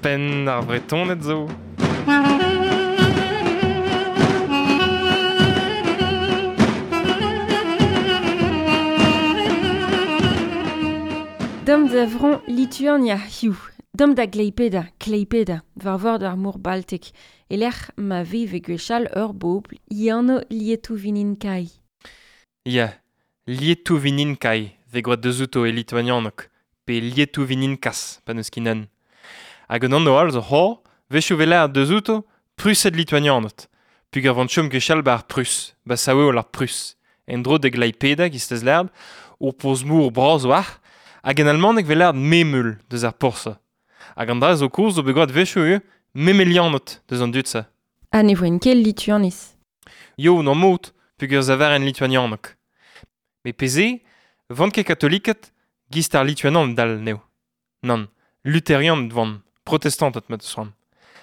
Penn ar Vretoned zo. Dam da vron Lituania hiziv. Dam da Gleipeda, Kleipeda, war vord ar mor Baltek, e-lec'h ma veve gwechall ur bobl, he anv Lietuvininkaj. Ya, Lietuvininkaj vez gwraet deuzouto e lituanianeg, pe Lietuvininkas pa n'eus ket un. Hag un anv all zo c'hoazh, wechoù 'vez lâret deuzouto Prused lituanianed, peogwir 'vont chom gwechall 'ba ar Prus, 'ba sav-heol ar Prus. En-dro da Gleipeda, 'giz lâret, ur porzh-mor bras 'oac'h, hag en almaneg 'vez lâret Memel deus ar porzh. Hag an dra zo kozh zo bet gwraet wechoù ivez Memelianed deus an dud-se. Ha ne voent ket Lituaniz. Yo, n'am mod, peogwir 'zaveren lituanianeg. Met pezh 'vant ket katoliked, 'giz ar Lituanianed dall anezho. Nann, luterianed 'vant, protestanted ma 'teus c'hoant.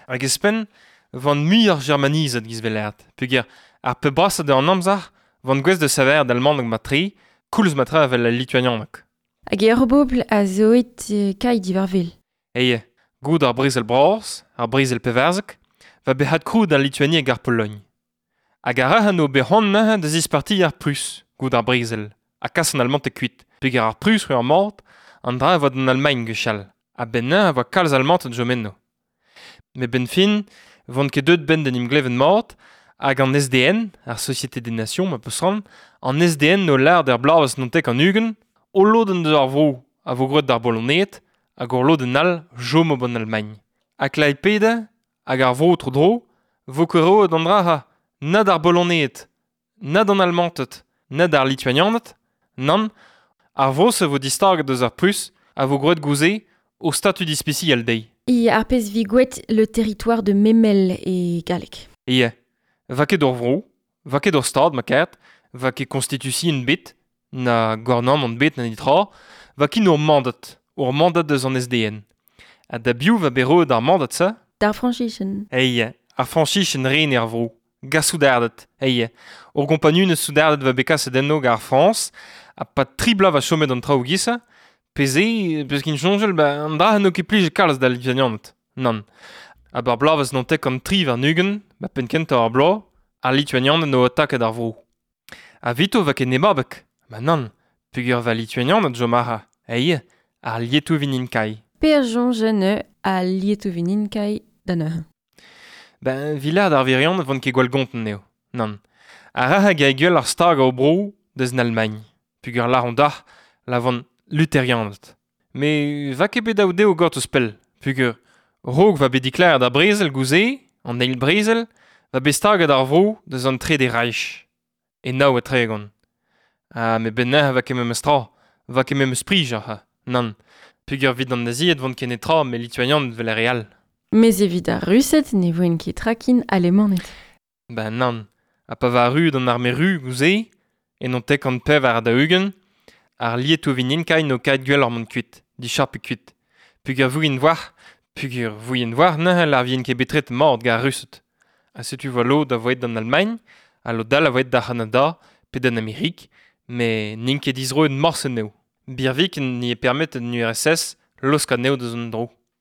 Hag ouzhpenn 'vant muioc'h germanizet 'giz 'vez lâret, peogwir ar pep brasañ deus an amzer 'vant gouest da saver d'almaneg mat-tre, koulz mat-tre evel al lituanianeg. Hag ur bobl a zo aet kailh diwar-wel. Eie, goude ar brezel bras, ar brezel pevarzek, va bet adkrouet al Lituanie hag ar Pologn. Hag ar rac'h no bet c'hoant neuze da zispartiñ ar Prus, goude ar brezel, ha kas an Almanted kuit, peogwir ar Prus oa ar mat, an dra a oa d'an Almagn gwechall, a-benn neuze a oa kalz Almanted chom eno. Met 'benn fin, 'vont ket deuet 'benn d'en em glevet mat, hag an SDN, ar Société des Nations ma peus c'hoant, an SDN o lâret er bloavezh 99, ul lodenn deus ar vro a vo gwraet d'ar Bologneed, hag ur lodenn all 'chomo 'ban Almagn. Ha Klaipeda hag ar vro tro-dro 'vo ket roet an dra-se na d'ar Bologneed, na d'an Almanted, na d'ar Lituanianed, nann, ar vro-se 'vo distaget deus ar Prus a vo gwraet gouze o statud ispisial dezhi. E ar pezh 'vi gwraet le territoire de Memel e galleg. Ya, 'va ket ur vro, 'va ket ur stad ma karet, 'va ket konstitution 'bet, na gouarnamant 'bet na netra, 'va ket ur mandat, ur mandat deus an SDN. Ha da biv 'va bet roet ar mandat-se? D'ar Frañsizien. Eie, ar Frañsizien 'ren er vro, gant soudarded, eie. Ur gompagnunezh soudarded 'va bet kaset enno gant ar Frañs, ha 'pad tri bloaz 'va chomet an traoù 'giz-se, pe-se, peus ket soñjal, ba an dra n'eo ket plijet kalz d'al Lituanianed. Nann. Ha 'bar bloavezh 99, 'ba penn-kentañ ar bloaz, ar Lituanianed 'no ataket ar vro. Ha 'vito 'va ket nebabeg, ma nann, peogwir 'va Lituanianed 'chom aze, eie, ar Lietuvininkaj. Per soñj neuze al Lietuvininkaj da neuze. Ben, 'vit lâret ar wirion 'vont ket gwall gontant eo, nann. Ar rac'h hag a gwell ar stag o bro deus an Almagn, peogwir lâront dac'h la vont luterianed. Met 'va ket bet dav dezho gortoz pell, peogwir 'raok 'va bet diklaret ar brezel gouze, an eil brezel, 'va bet staget ar vro deus an Trede Reich, e 39. Ha met 'benn neuze 'va ket memes tra, 'va ket memes prij ac'h, nann, peogwir 'vit an Nazied 'vont ket netra met Lituanianed 'vel ar re all. Mes evit ar Rused ne voent ket trakin Alemaned. Ben nann, ha pa va arruet an arme ru gouze, e 94, ar Lietuvininkaj n'o kaet gwelloc'h mont kuit, dichapiñ kuit. Peogwir 'vouient 'voar, peogwir 'vouient 'voar neuze 'lar 'vient ket bet tretet mat gant ar Rused. Ha setu 'voa lod a voe d'an Almagn, ha lod all a voe d'ar C'hanada pe d'an Amerik, met n'int ket dizroet morse anezho. Birviken n'eo permetet an URSS laosk anezho deus an dro.